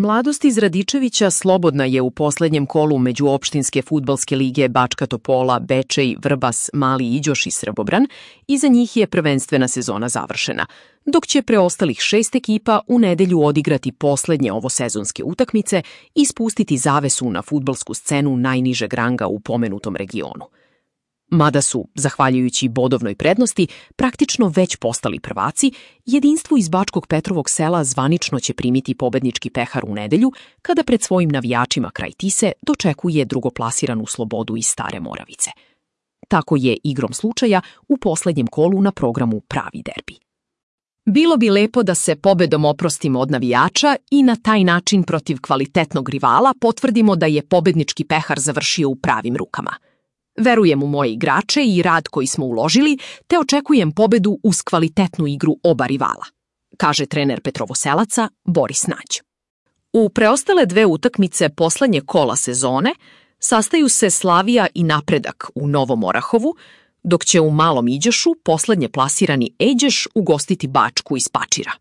Mladost iz Radičevića slobodna je u poslednjem kolu međuopštinske fudbalske lige Bačka Topola, Bečej, Vrbas, Mali Iđoš i Srbobran i za njih je prvenstvena sezona završena, dok će preostalih 6 ekipa u nedelju odigrati poslednje ovosezonske utakmice i spustiti zavesu na fudbalsku scenu najnižeg ranga u pomenutom regionu. Mada su, zahvaljujući bodovnoj prednosti, praktično već postali prvaci, jedinstvo iz Bačkog Petrovog sela zvanično će primiti pobednički pehar u nedelju, kada pred svojim navijačima kraj Tise dočekuje drugoplasiranu Slobodu iz Stare Moravice. Tako je, igrom slučaja, u poslednjem kolu na programu pravi derbi. Bilo bi lepo da se pobedom oprostimo od navijača i na taj način protiv kvalitetnog rivala potvrdimo da je pobednički pehar završio u pravim rukama. Verujem u moje igrače i rad koji smo uložili, te očekujem pobedu uz kvalitetnu igru oba rivala, kaže trener Petrovoselaca Boris Nać. U preostale 2 utakmice poslednje kola sezone sastaju se Slavija i Napredak u Novom Orahovu, dok će u Malom Iđošu poslednje plasirani Eđeš ugostiti Bačku iz Pačira.